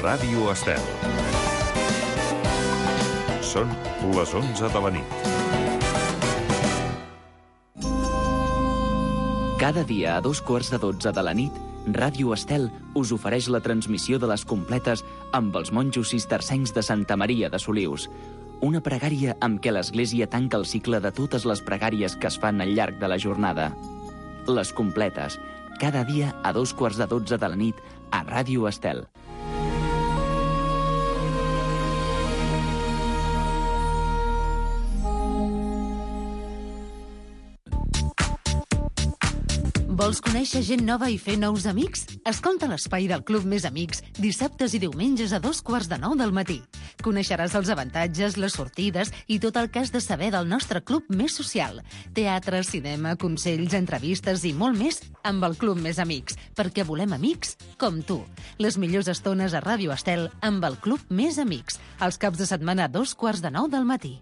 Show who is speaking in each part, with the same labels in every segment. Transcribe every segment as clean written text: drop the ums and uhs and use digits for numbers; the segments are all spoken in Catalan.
Speaker 1: Ràdio Estel. Són les 11 de la nit.
Speaker 2: Cada dia a 2:15 de la nit, Ràdio Estel us ofereix la transmissió de les completes amb els monjos cistercencs de Santa Maria de Solius. Una pregària amb què l'Església tanca el cicle de totes les pregàries que es fan al llarg de la jornada. Les completes, cada dia a 2:15 de la nit a Ràdio Estel.
Speaker 3: Vols conèixer gent nova i fer nous amics? Escolta l'Espai del Club Més Amics dissabtes i diumenges a 8:45 del matí. Coneixeràs els avantatges, les sortides i tot el que has de saber del nostre club més social. Teatre, cinema, consells, entrevistes i molt més amb el Club Més Amics, perquè volem amics com tu. Les millors estones a Ràdio Estel amb el Club Més Amics, els caps de setmana a 8:45 del matí.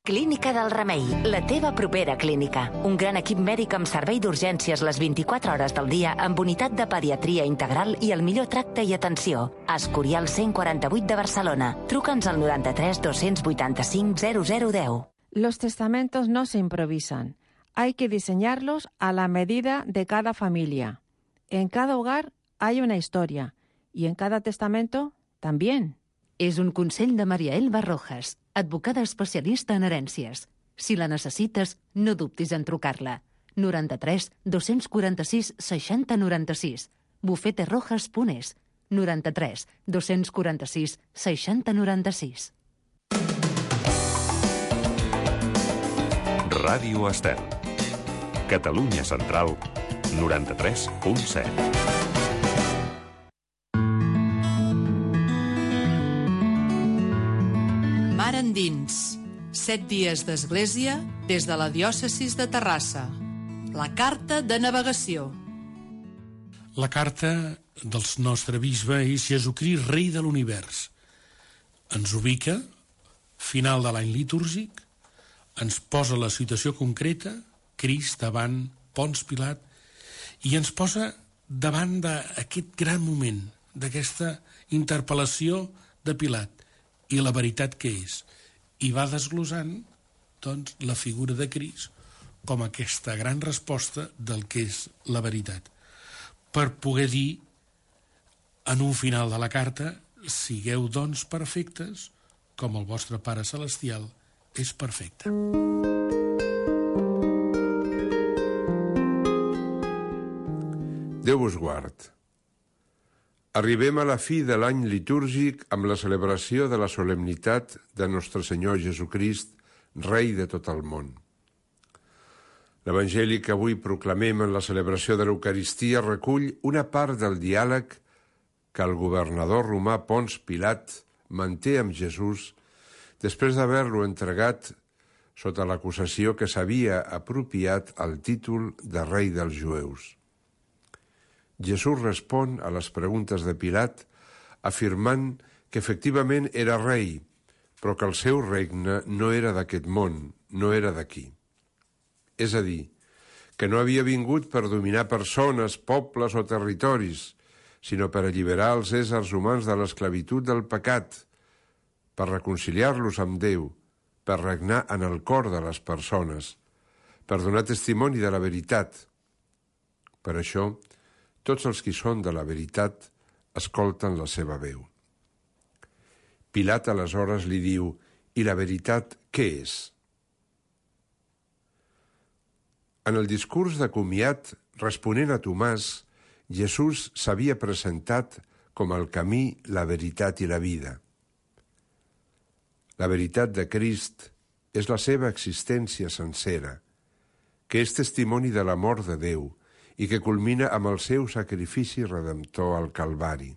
Speaker 4: Clínica del Remei, la teva propera clínica. Un gran equip mèdic amb servei d'urgències les 24 hores del dia amb unitat de pediatria integral i el millor tracte i atenció. Escorial 148 de Barcelona. Truca'ns al 93 285 0010.
Speaker 5: Los testamentos no se improvisan. Hay que diseñarlos a la medida de cada familia. En cada hogar hay una historia y en cada testamento también.
Speaker 3: És un consell de Maria Elba Rojas, advocada especialista en herències. Si la necessites, no dubtis en trucar-la. 93 246 60 96. bufeterojas.es. 93 246 60 96.
Speaker 1: Ràdio Estel. Catalunya Central, 93.7.
Speaker 6: Mar endins. 7 dies d'església des de la diòcesis de Terrassa. La carta de navegació.
Speaker 7: La carta del nostre bisbe és Jesucrist, rei de l'univers. Ens ubica, final de l'any litúrgic, ens posa la situació concreta, Crist davant Pons Pilat, i ens posa davant d'aquest gran moment, d'aquesta interpel·lació de Pilat, i la veritat que és. I va desglossant, doncs, la figura de Crist com aquesta gran resposta del que és la veritat. Per poder dir, en un final de la carta, sigueu, doncs, perfectes, com el vostre Pare Celestial és perfecte.
Speaker 8: Déu vos guard. Arribem a la fi de l'any litúrgic amb la celebració de la solemnitat de Nostre Senyor Jesucrist, Rei de tot el món. L'Evangeli que avui proclamem en la celebració de l'Eucaristia recull una part del diàleg que el governador romà Pons Pilat manté amb Jesús després d'haver-lo entregat sota l'acusació que s'havia apropiat el títol de Rei dels Jueus. Jesús respon a les preguntes de Pilat afirmant que efectivament era rei, però que el seu regne no era d'aquest món, no era d'aquí. És a dir, que no havia vingut per dominar persones, pobles o territoris, sinó per alliberar els éssers humans de l'esclavitud del pecat, per reconciliar-los amb Déu, per regnar en el cor de les persones, per donar testimoni de la veritat. Per això, tots els qui són de la veritat escolten la seva veu. Pilat aleshores li diu: «I la veritat què és?» En el discurs de comiat, responent a Tomàs, Jesús s'havia presentat com el camí, la veritat i la vida. La veritat de Crist és la seva existència sencera, que és testimoni de l'amor de Déu, i que culmina amb el seu sacrifici redemptor al Calvari.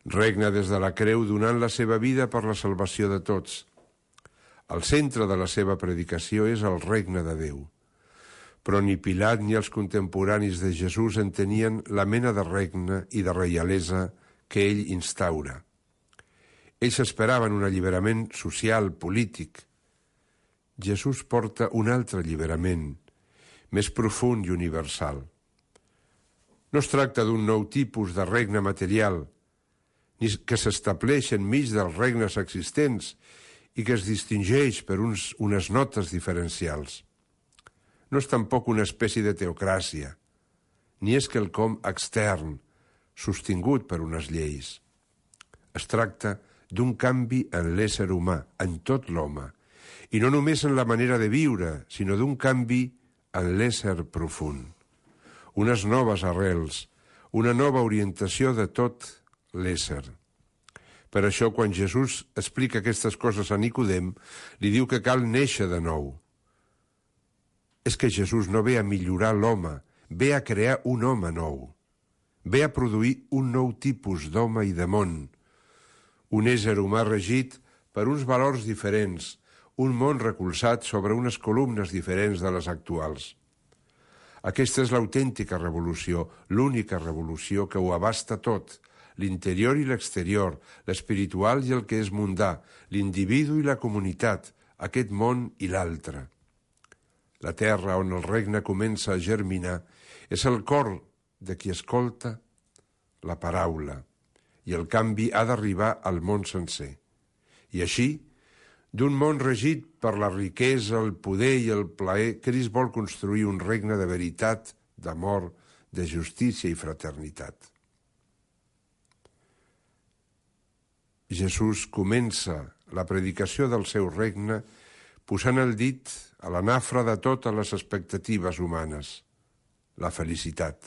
Speaker 8: Regna des de la creu donant la seva vida per la salvació de tots. El centre de la seva predicació és el regne de Déu. Però ni Pilat ni els contemporanis de Jesús entenien la mena de regne i de reialesa que ell instaura. Ells esperaven un alliberament social, polític. Jesús porta un altre alliberament, més profund i universal. No es tracta d'un nou tipus de regne material, ni que s'estableix enmig dels regnes existents i que es distingeix per unes notes diferencials. No és tampoc una espècie de teocràcia, ni és quelcom extern, sostingut per unes lleis. Es tracta d'un canvi en l'ésser humà, en tot l'home, i no només en la manera de viure, sinó d'un canvi en l'ésser profund. Unes noves arrels, una nova orientació de tot l'ésser. Per això, quan Jesús explica aquestes coses a Nicodem, li diu que cal néixer de nou. És que Jesús no ve a millorar l'home, ve a crear un home nou. Ve a produir un nou tipus d'home i de món. Un ésser humà regit per uns valors diferents, un món recolzat sobre unes columnes diferents de les actuals. Aquesta és l'autèntica revolució, l'única revolució que ho abasta tot, l'interior i l'exterior, l'espiritual i el que és mundà, l'individu i la comunitat, aquest món i l'altre. La terra on el regne comença a germinar és el cor de qui escolta la paraula, i el canvi ha d'arribar al món sencer. I així, d'un món regit per la riquesa, el poder i el plaer, Crist vol construir un regne de veritat, d'amor, de justícia i fraternitat. Jesús comença la predicació del seu regne posant el dit a la nafra de totes les expectatives humanes, la felicitat.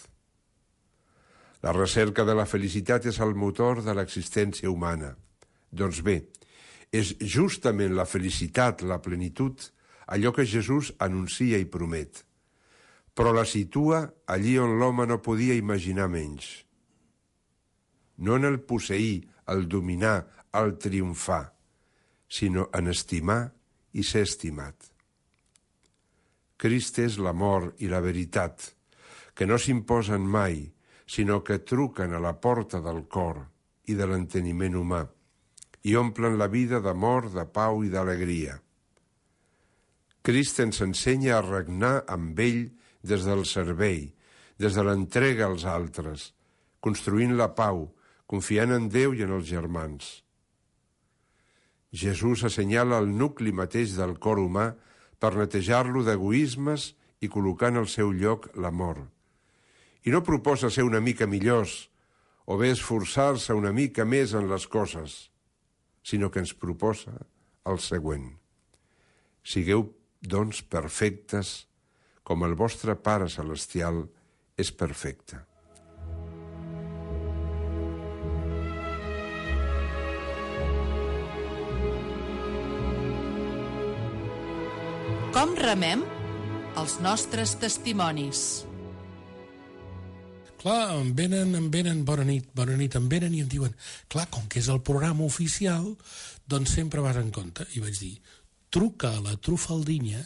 Speaker 8: La recerca de la felicitat és el motor de l'existència humana. Doncs bé, és justament la felicitat, la plenitud, allò que Jesús anuncia i promet, però la situa allí on l'home no podia imaginar menys. No en el posseir, el dominar, el triomfar, sinó en estimar i ser estimat. Crist és l'amor i la veritat, que no s'imposen mai, sinó que truquen a la porta del cor i de l'enteniment humà, i omplen la vida d'amor, de pau i d'alegria. Crist ens ensenya a regnar amb ell des del servei, des de l'entrega als altres, construint la pau, confiant en Déu i en els germans. Jesús assenyala el nucli mateix del cor humà per netejar-lo d'egoismes i col·locar en el seu lloc l'amor. I no proposa ser una mica millors o bé esforçar-se una mica més en les coses, sinó que ens proposa el següent. Sigueu, doncs, perfectes, com el vostre Pare Celestial és perfecte.
Speaker 6: Com remem els nostres testimonis?
Speaker 7: Clar, em venen, bona nit, em venen i em diuen, clar, com que és el programa oficial, doncs sempre vas en compte. I vaig dir, truca a la Trufaldina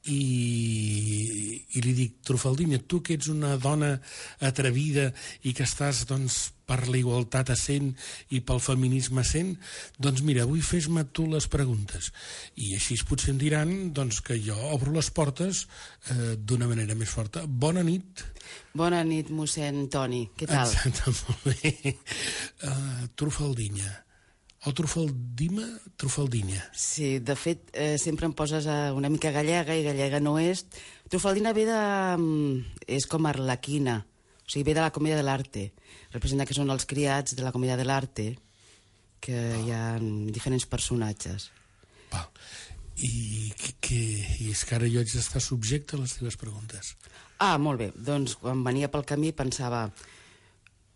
Speaker 7: i li dic, Trufaldina, tu que ets una dona atrevida i que estàs, doncs, per la igualtat a 100 i pel feminisme a 100, doncs mira, avui fes-me tu les preguntes. I així potser em diran, doncs, que jo obro les portes d'una manera més forta. Bona nit.
Speaker 9: Bona nit, mossèn Toni. Què tal?
Speaker 7: Exacte, molt bé. Trufaldina. O Trufaldina.
Speaker 9: Sí, de fet, sempre em poses una mica gallega i gallega no és. Trufaldina ve de... és com arlequina, o sigui, ve de la comèdia de l'arte. Representa que són els criats de la comèdia de l'arte, que hi ha diferents personatges.
Speaker 7: Val. I és que ara jo haig d'estar subjecte a les teves preguntes.
Speaker 9: Ah, molt bé. Doncs quan venia pel camí pensava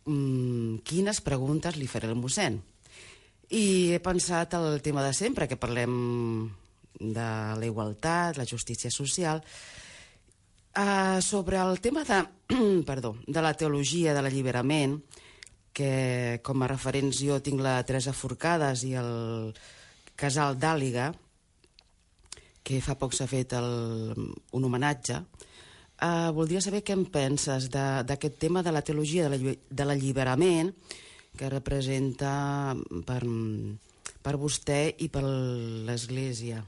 Speaker 9: quines preguntes li faré al mossèn? I he pensat el tema de sempre, que parlem de la igualtat, la justícia social, sobre el tema de, de la teologia de l'alliberament, que com a referents jo tinc la Teresa Forcades i el Casal d'Àliga, que fa poc s'ha fet un homenatge. Voldria saber què en penses d'aquest tema de la teologia de l'alliberament, que representa per vostè i per l'Església.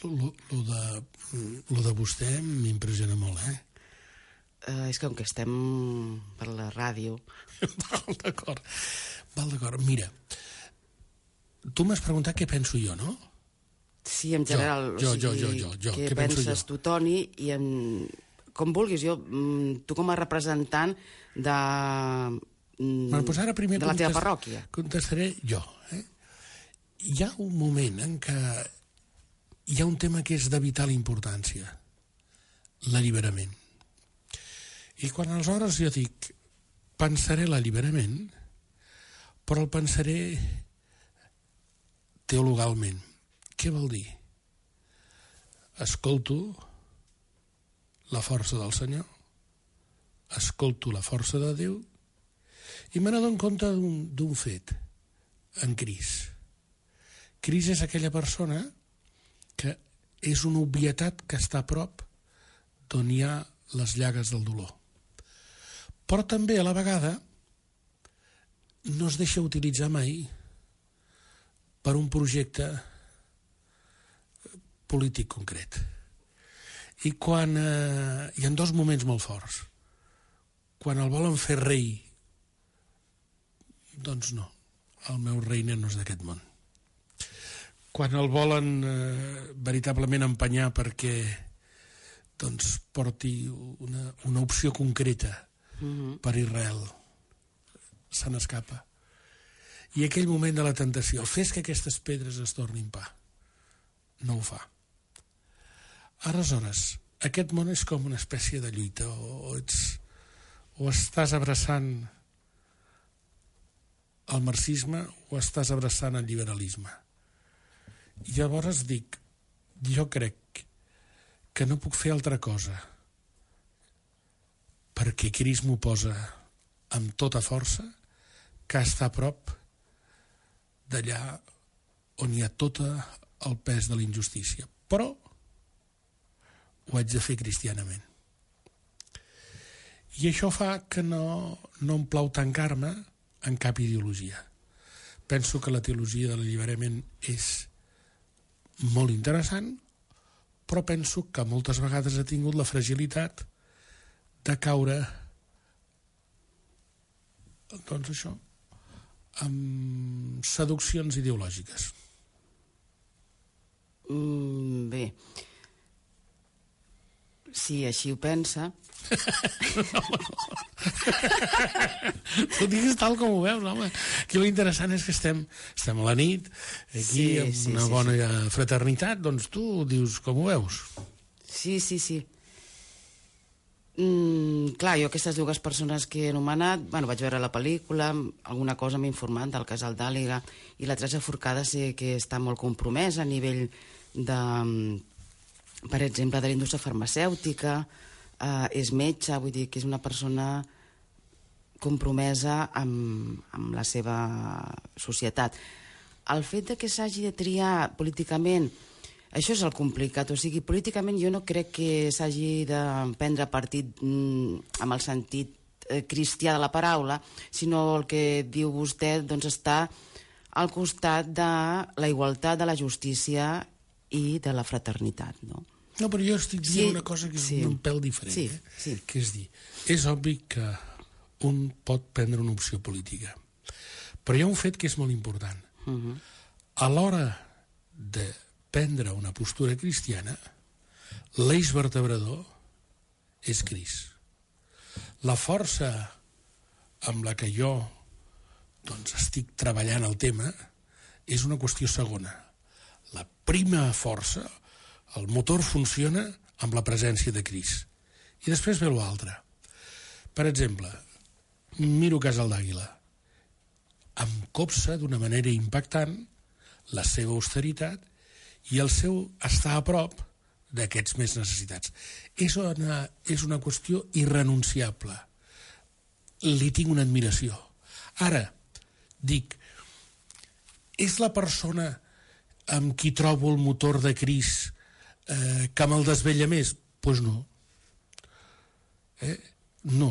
Speaker 7: Lo de vostè m'impressiona molt,
Speaker 9: És que com que estem per la ràdio...
Speaker 7: Val, d'acord. Mira, tu m'has preguntat què penso jo, no?
Speaker 9: Sí, en general.
Speaker 7: Jo.
Speaker 9: Què penses tu, Toni? I com vulguis, tu com a representant de
Speaker 7: ara primer
Speaker 9: la teva parròquia.
Speaker 7: Contestaré jo. Hi ha un moment en què hi ha un tema que és de vital importància, l'alliberament. I quan aleshores jo dic pensaré l'alliberament, però el pensaré teologalment. Què vol dir? Escolto la força del Senyor, escolto la força de Déu i me n'adono compte d'un fet, en Crist. Crist és aquella persona que és una obvietat que està a prop d'on hi ha les llagues del dolor. Però també, a la vegada, no es deixa utilitzar mai per un projecte polític concret. I quan hi ha dos moments molt forts. Quan el volen fer rei, doncs no, el meu regne no és d'aquest món. Quan el volen veritablement empenyar perquè doncs, porti una opció concreta per Israel, se n'escapa. I aquell moment de la tentació, fes que aquestes pedres es tornin pa, no ho fa. Aleshores, aquest món és com una espècie de lluita, o estàs abraçant el marxisme o estàs abraçant el liberalisme. I llavors dic, jo crec que no puc fer altra cosa perquè Crist m'ho posa amb tota força que està a prop d'allà on hi ha tot el pes de la injustícia. Però ho haig de fer cristianament. I això fa que no em plau tancar-me en cap ideologia. Penso que la teologia de l'alliberament és molt interessant, però penso que moltes vegades ha tingut la fragilitat de caure, doncs això, amb seduccions ideològiques.
Speaker 9: Bé, si així ho pensa...
Speaker 7: Tu digues tal com ho veus, home. Aquí l'interessant és que estem a la nit, aquí amb una bona fraternitat, doncs tu dius com ho veus.
Speaker 9: Sí. Clar, jo aquestes dues persones que he anomenat, vaig veure la pel·lícula, alguna cosa m'he informat del casal d'Àliga, i la Teresa Forcada sé que està molt compromesa a nivell de, per exemple, de la indústria farmacèutica, és metge, vull dir que és una persona compromesa amb la seva societat. El fet que s'hagi de triar políticament, això és el complicat, o sigui, políticament jo no crec que s'hagi de prendre partit amb el sentit cristià de la paraula, sinó el que diu vostè, doncs està al costat de la igualtat, de la justícia i de la fraternitat, no?
Speaker 7: No, però jo estic dient una cosa que és un pèl diferent, que és dir, és obvi que un pot prendre una opció política, però hi ha un fet que és molt important. A l'hora de prendre una postura cristiana, l'eix vertebrador és Crist. La força amb la que jo estic treballant el tema és una qüestió segona. La prima força, el motor funciona amb la presència de Crist. I després ve l'altre. Per exemple, miro Casal d'Àguila. Em copsa d'una manera impactant la seva austeritat i el seu estar a prop d'aquests més necessitats. És una qüestió irrenunciable. Li tinc una admiració. Ara, dic, és la persona amb qui trobo el motor de Crist que me'l desvella més? Doncs no. No.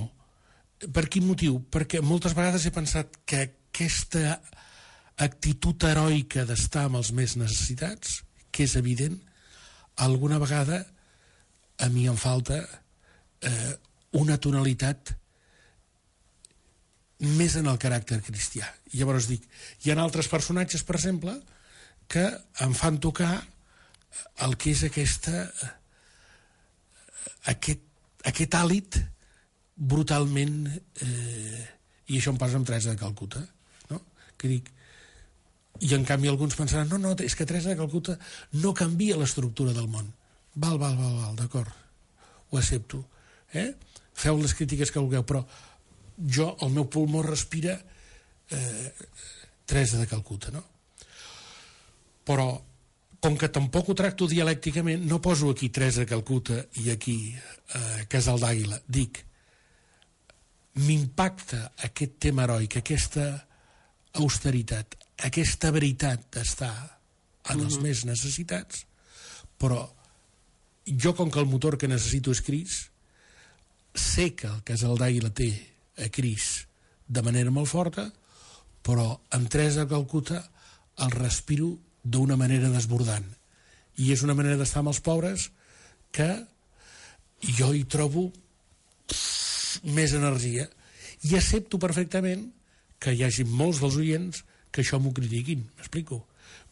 Speaker 7: Per quin motiu? Perquè moltes vegades he pensat que aquesta actitud heroica d'estar amb els més necessitats, que és evident, alguna vegada a mi em falta una tonalitat més en el caràcter cristià. I llavors dic, hi ha altres personatges, per exemple, que em fan tocar el que és aquest hàlit brutalment, i això em passa amb Teresa de Calcuta, no? Que dic, i en canvi alguns pensaran, no, és que Teresa de Calcuta no canvia l'estructura del món. Val, d'acord, ho accepto. Feu les crítiques que vulgueu, però el meu pulmó respira Teresa de Calcuta, no? Però, com que tampoc ho tracto dialècticament, no poso aquí Teresa de Calcuta i aquí Casal d'Àguila. Dic, m'impacta aquest tema heroic, aquesta austeritat, aquesta veritat d'estar en els més necessitats, però jo, com que el motor que necessito és Crist, sé que el Casal d'Àguila té a Crist de manera molt forta, però amb Teresa de Calcuta el respiro d'una manera desbordant. I és una manera d'estar amb els pobres que jo hi trobo més energia. I accepto perfectament que hi hagi molts dels oients que això m'ho critiquin, m'explico?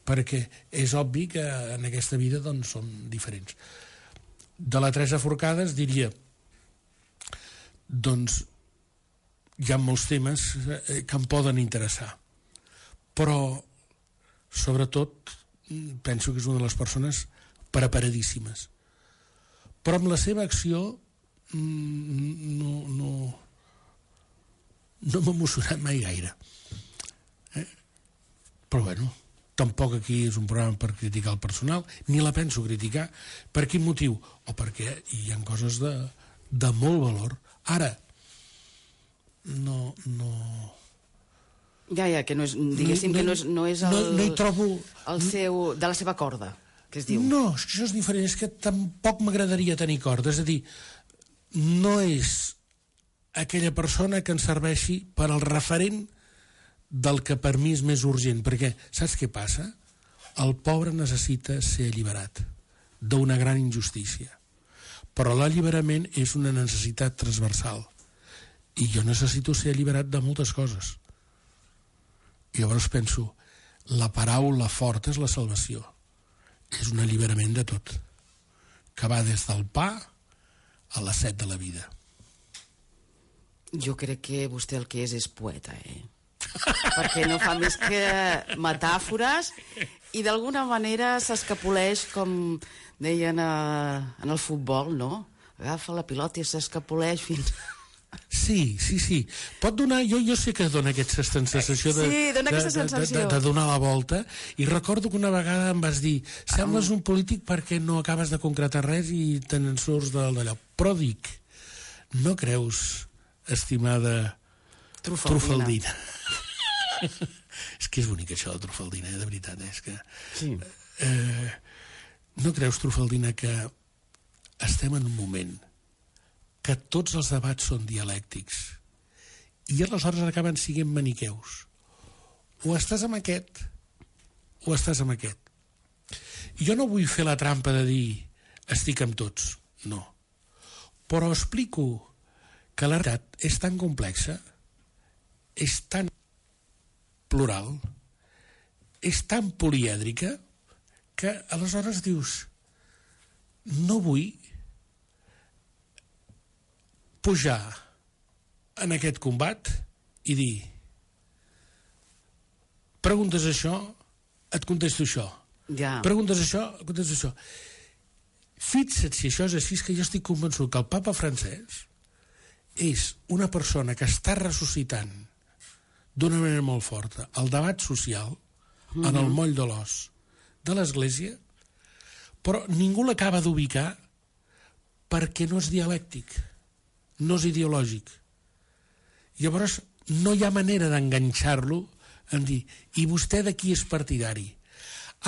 Speaker 7: Perquè és obvi que en aquesta vida doncs som diferents. De la Teresa Forcades diria, doncs hi ha molts temes que em poden interessar, però sobretot penso que és una de les persones preparadíssimes, però amb la seva acció no m'ha emocionat mai gaire, però bueno, tampoc aquí és un programa per criticar el personal, ni la penso criticar. Per quin motiu? O perquè hi ha coses de molt valor. Ara no
Speaker 9: ja, que no és, diguéssim, que no és
Speaker 7: no hi trobo
Speaker 9: el seu, de la seva corda, que es diu.
Speaker 7: No, això és diferent, és que tampoc m'agradaria tenir corda, és a dir, no és aquella persona que ens serveixi per al referent del que per mi és més urgent, perquè saps què passa? El pobre necessita ser alliberat d'una gran injustícia, però l'alliberament és una necessitat transversal i jo necessito ser alliberat de moltes coses. I llavors penso, la paraula forta és la salvació, és un alliberament de tot, que va des del pa a la set de la vida.
Speaker 9: Jo crec que vostè el que és poeta, perquè no fa més que metàfores i d'alguna manera s'escapoleix, com deien en el futbol, no? Agafa la pilota i s'escapoleix fins...
Speaker 7: Sí. Pot donar, jo sé que dona aquesta sensació de donar la volta, i recordo que una vegada em vas dir, sembles un polític perquè no acabes de concretar res i te'n surts d'allò. Però dic, no creus, estimada Trufaldina? És que és bonic això de Trufaldina, de veritat, és que...
Speaker 9: Sí.
Speaker 7: No creus, Trufaldina, que estem en un moment que tots els debats són dialèctics i aleshores acaben siguent maniqueus? O estàs amb aquest o estàs amb aquest. Jo no vull fer la trampa de dir estic amb tots, no. Però explico que la realitat és tan complexa, és tan plural, és tan polièdrica, que aleshores dius, no vull pujar en aquest combat i dir, preguntes això, et contesto això.
Speaker 9: Ja.
Speaker 7: Preguntes això, et contesto això. Fixa't si això és així, que jo estic convençut que el papa francès és una persona que està ressuscitant d'una manera molt forta el debat social en el moll de l'os de l'Església, però ningú l'acaba d'ubicar perquè no és dialèctic, no és ideològic. Llavors no hi ha manera d'enganxar-lo en dir, i vostè de qui és partidari?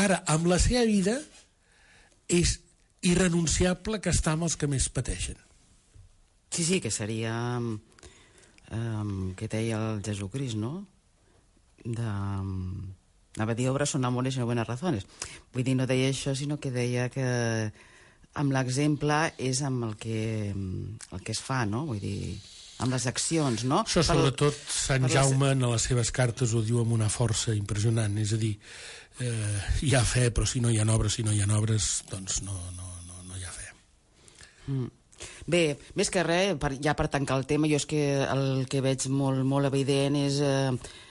Speaker 7: Ara, amb la seva vida és irrenunciable que està amb els que més pateixen.
Speaker 9: Sí, que seria que deia el Jesucrist, no? Anava a dir obras son amores y no buenas razones. Vull dir, no deia això, sinó que deia que amb l'exemple és amb el que es fa, no? Vull dir, amb les accions, no?
Speaker 7: Això sobretot Sant Jaume en les seves cartes ho diu amb una força impressionant, és a dir, hi ha fe, però si no hi ha obres, doncs no hi ha fe.
Speaker 9: Bé, més que res, ja per tancar el tema, jo és que el que veig molt evident és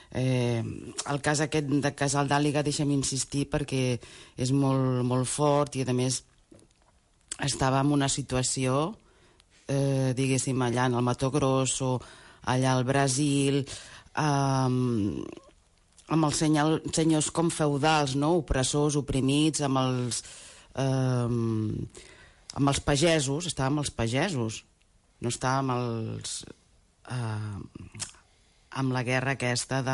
Speaker 9: el cas aquest de Casal d'Àliga, deixa'm insistir, perquè és molt fort i, a més, estava en una situació, diguéssim, allà en el Mato Grosso, allà al Brasil, amb els senyors com feudals, no? Opressors, oprimits, amb els pagesos, estava amb els pagesos, no estava amb la guerra aquesta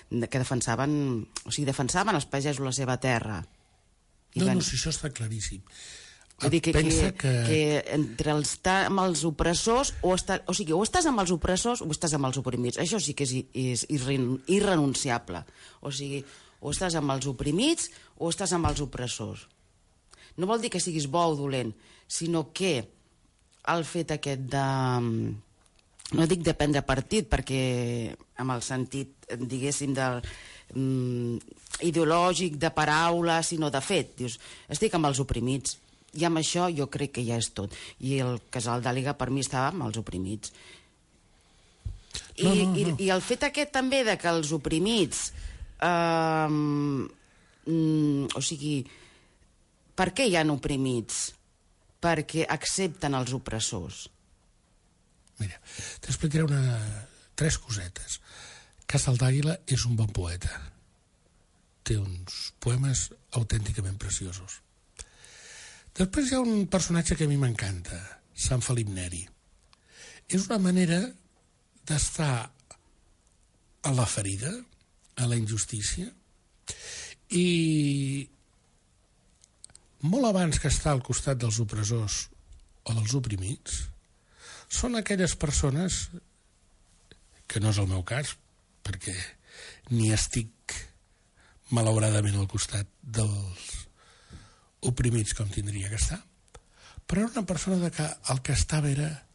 Speaker 9: que defensaven, o sigui, defensaven els pagesos la seva terra.
Speaker 7: No, si això està claríssim.
Speaker 9: Vull dir que entre estar amb els opressors, o estàs amb els opressors o estàs amb els oprimits. Això sí que és irrenunciable. O sigui, o estàs amb els oprimits o estàs amb els opressors. No vol dir que siguis bo o dolent, sinó que el fet aquest de... No dic de prendre partit, perquè amb el sentit, diguéssim, ideològic, de paraula, sinó de fet. Dius, estic amb els oprimits. I amb això jo crec que ja és tot. I el Casal d'Àliga per mi estava amb els oprimits. I el fet aquest també de que els oprimits... o sigui, per què hi ha oprimits? Perquè accepten els opressors.
Speaker 7: Mira, t'explicaré 3 cosetes. Casal d'Àguila és un bon poeta. Té uns poemes autènticament preciosos. Després hi ha un personatge que a mi m'encanta, Sant Felip Neri. És una manera d'estar a la ferida, a la injustícia, i molt abans que estar al costat dels opressors o dels oprimits, són aquelles persones, que no és el meu cas, perquè ni estic malauradament al costat dels oprimits com tindria que estar, però era una persona que el que estava era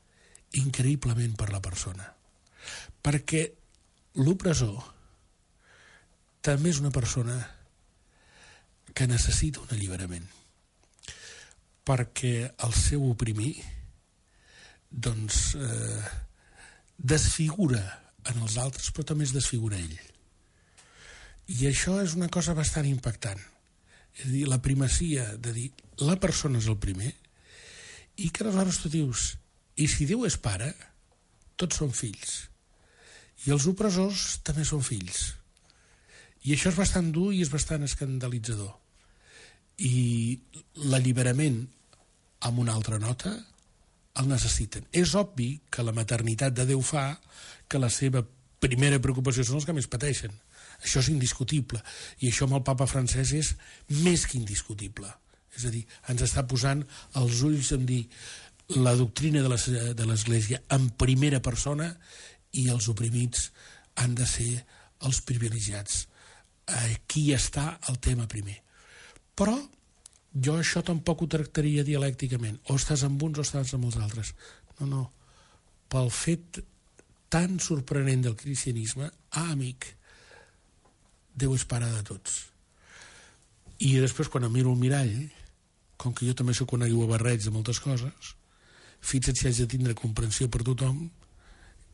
Speaker 7: increïblement per la persona, perquè l'opressor també és una persona que necessita un alliberament, perquè el seu oprimir doncs desfigura en els altres, però també es desfigura ell. I això és una cosa bastant impactant. És a dir, la primacia de dir la persona és el primer, i que aleshores tu dius, i si Déu és pare, tots són fills, i els opressors també són fills. I això és bastant dur i és bastant escandalitzador. I l'alliberament amb una altra nota el necessiten. És obvi que la maternitat de Déu fa que la seva primera preocupació són els que més pateixen. Això és indiscutible. I això amb el papa francès és més que indiscutible. És a dir, ens està posant els ulls en dir la doctrina de l'Església en primera persona i els oprimits han de ser els privilegiats. Aquí està el tema primer. Però jo això tampoc ho tractaria dialècticament. O estàs amb uns o estàs amb els altres. No. Pel fet tan sorprenent del cristianisme, amic, Déu és pare de tots. I després, quan em miro al mirall, com que jo també soc un aiguabarreig de moltes coses, fixa't si haig de tindre comprensió per tothom,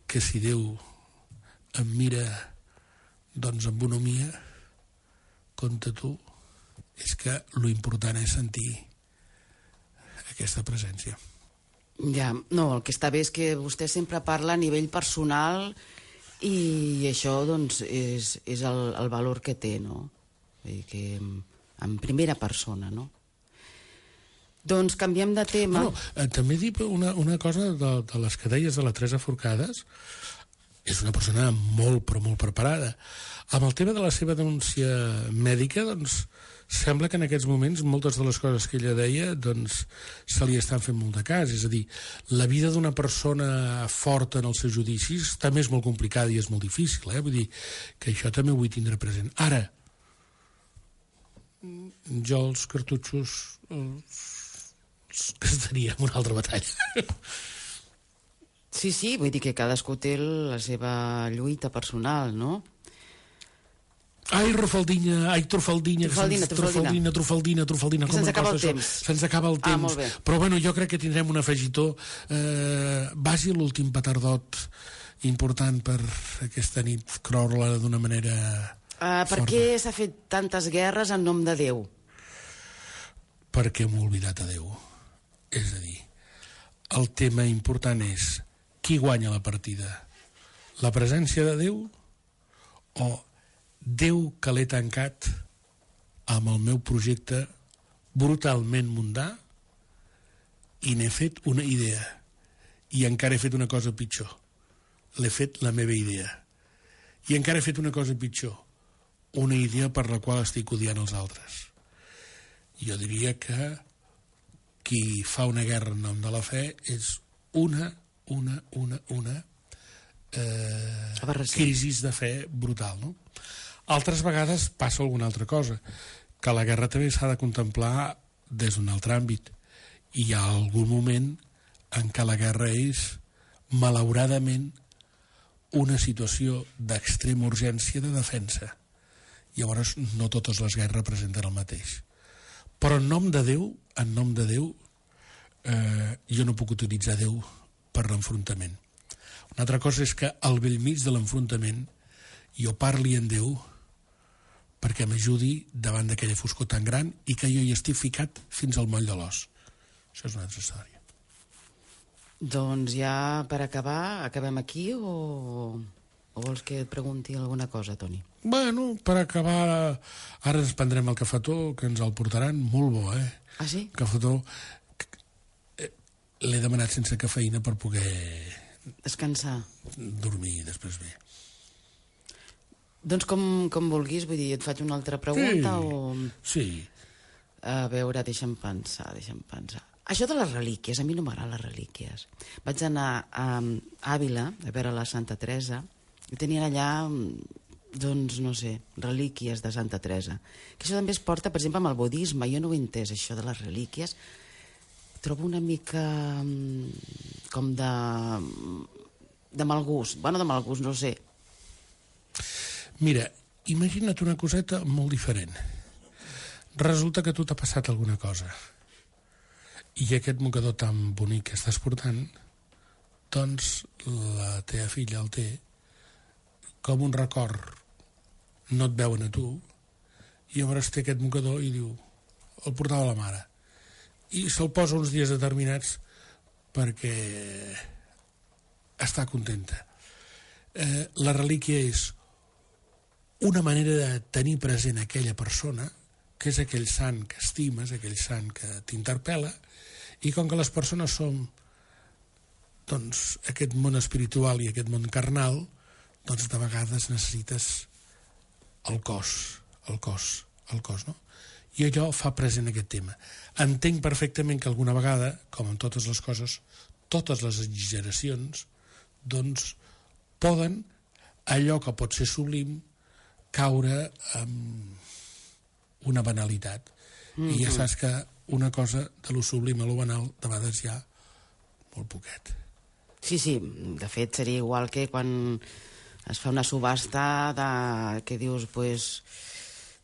Speaker 7: que si Déu em mira doncs amb bonomia, compte tu, és que lo important és sentir aquesta presència.
Speaker 9: Ja, no, el que està bé és que vostè sempre parla a nivell personal i això doncs és el valor que té, no? Vull dir que en primera persona, no? Doncs canviem de tema.
Speaker 7: També dir una cosa de les que deies de la Teresa Forcades. És una persona molt, però molt preparada. Amb el tema de la seva denúncia mèdica, doncs, sembla que en aquests moments moltes de les coses que ella deia doncs, se li estan fent molt de cas. És a dir, la vida d'una persona forta en els seus judicis també és molt complicada i és molt difícil. Vull dir que això també ho vull tindre present. Ara, jo els cartutxos estaria en una altra batalla.
Speaker 9: Sí, vull dir que cadascú té la seva lluita personal, no?
Speaker 7: Ai, Trufaldina, Trufaldina.
Speaker 9: Que se'ns acaba el temps.
Speaker 7: Se'ns acaba el temps.
Speaker 9: Molt bé.
Speaker 7: Però bueno, jo crec que tindrem un afegitó. Vagi l'últim petardot important per aquesta nit, croure-la d'una manera
Speaker 9: Per què s'ha fet tantes guerres en nom de Déu?
Speaker 7: Perquè hem oblidat a Déu. És a dir, el tema important és qui guanya la partida? La presència de Déu o Déu que l'he tancat amb el meu projecte brutalment mundà i n'he fet una idea i encara he fet una cosa pitjor, l'he fet la meva idea i encara he fet una cosa pitjor, una idea per la qual estic odiant els altres. Jo diria que qui fa una guerra en nom de la fe és una crisi de fe brutal, no? Altres vegades passa alguna altra cosa, que la guerra també s'ha de contemplar des d'un altre àmbit. I hi ha algun moment en què la guerra és, malauradament, una situació d'extrema urgència de defensa. Llavors, no totes les guerres representen el mateix. Però en nom de Déu, jo no puc utilitzar Déu per l'enfrontament. Una altra cosa és que al bell mig de l'enfrontament jo parli en Déu perquè m'ajudi davant d'aquella foscor tan gran i que jo hi estic ficat fins al moll de l'os. Això és una altra història.
Speaker 9: Doncs ja per acabar, acabem aquí o vols que et pregunti alguna cosa, Toni?
Speaker 7: Bueno, per acabar, ara ens prendrem el cafetó, que ens el portaran, molt bo,
Speaker 9: Ah, sí?
Speaker 7: Cafetó, l'he demanat sense cafeïna per poder
Speaker 9: descansar,
Speaker 7: dormir després bé.
Speaker 9: Doncs com vulguis, vull dir, et faig una altra pregunta o...
Speaker 7: Sí.
Speaker 9: A veure, deixa'm pensar. Això de les relíquies, a mi no m'agraden les relíquies. Vaig anar a Àvila a veure la Santa Teresa i tenien allà, doncs, no sé, relíquies de Santa Teresa. Que això també es porta, per exemple, amb el budisme. Jo no ho he entès, això de les relíquies. Trobo una mica com de mal gust. Bueno, de mal gust, no sé.
Speaker 7: Mira, imagina't una coseta molt diferent. Resulta que a tu t'ha passat alguna cosa i aquest mocador tan bonic que estàs portant, doncs la teva filla el té com un record. No et veuen a tu i llavors té aquest mocador i diu, el portava la mare, i se'l posa uns dies determinats perquè està contenta. La relíquia és una manera de tenir present aquella persona, que és aquell sant que estimes, aquell sant que t'interpel·la, i com que les persones som, doncs, aquest món espiritual i aquest món carnal, doncs de vegades necessites el cos, no? I allò fa present aquest tema. Entenc perfectament que alguna vegada, com en totes les coses, totes les exageracions, doncs, poden, allò que pot ser sublim, caure amb una banalitat. I ja saps que una cosa de lo sublim a lo banal de vegades hi ha molt poquet.
Speaker 9: Sí, de fet seria igual que quan es fa una subhasta que dius, pues,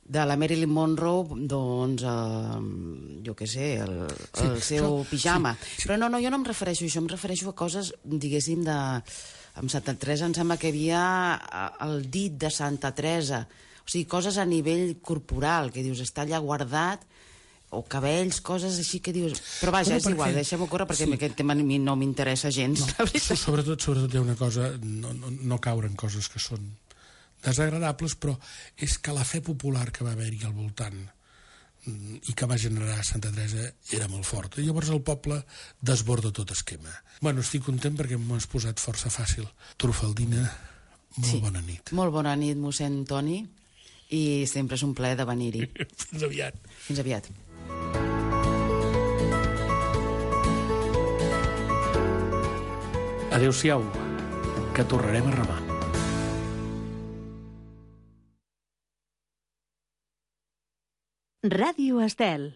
Speaker 9: de la Marilyn Monroe, doncs, jo què sé, el seu pijama. Però no, jo no em refereixo a això, em refereixo a coses, diguéssim, amb Santa Teresa em sembla que hi havia el dit de Santa Teresa, o sigui, coses a nivell corporal, que dius, està allà guardat, o cabells, coses així que dius... Però vaja, és igual, deixem-ho córrer perquè aquest tema a mi no m'interessa gens.
Speaker 7: Sobretot hi ha una cosa, no caure en coses que són desagradables, però és que la fe popular que va haver-hi al voltant i que va generar Santa Teresa era molt forta. Llavors el poble desborda tot esquema. Bueno, estic content perquè m'ho has posat força fàcil. Trufaldina, molt bona nit.
Speaker 9: Molt bona nit, mossèn Toni, i sempre és un plaer de venir-hi.
Speaker 7: Fins aviat.
Speaker 9: Fins aviat.
Speaker 7: Adéu-siau, que tornarem a remar.
Speaker 10: Ràdio Estel.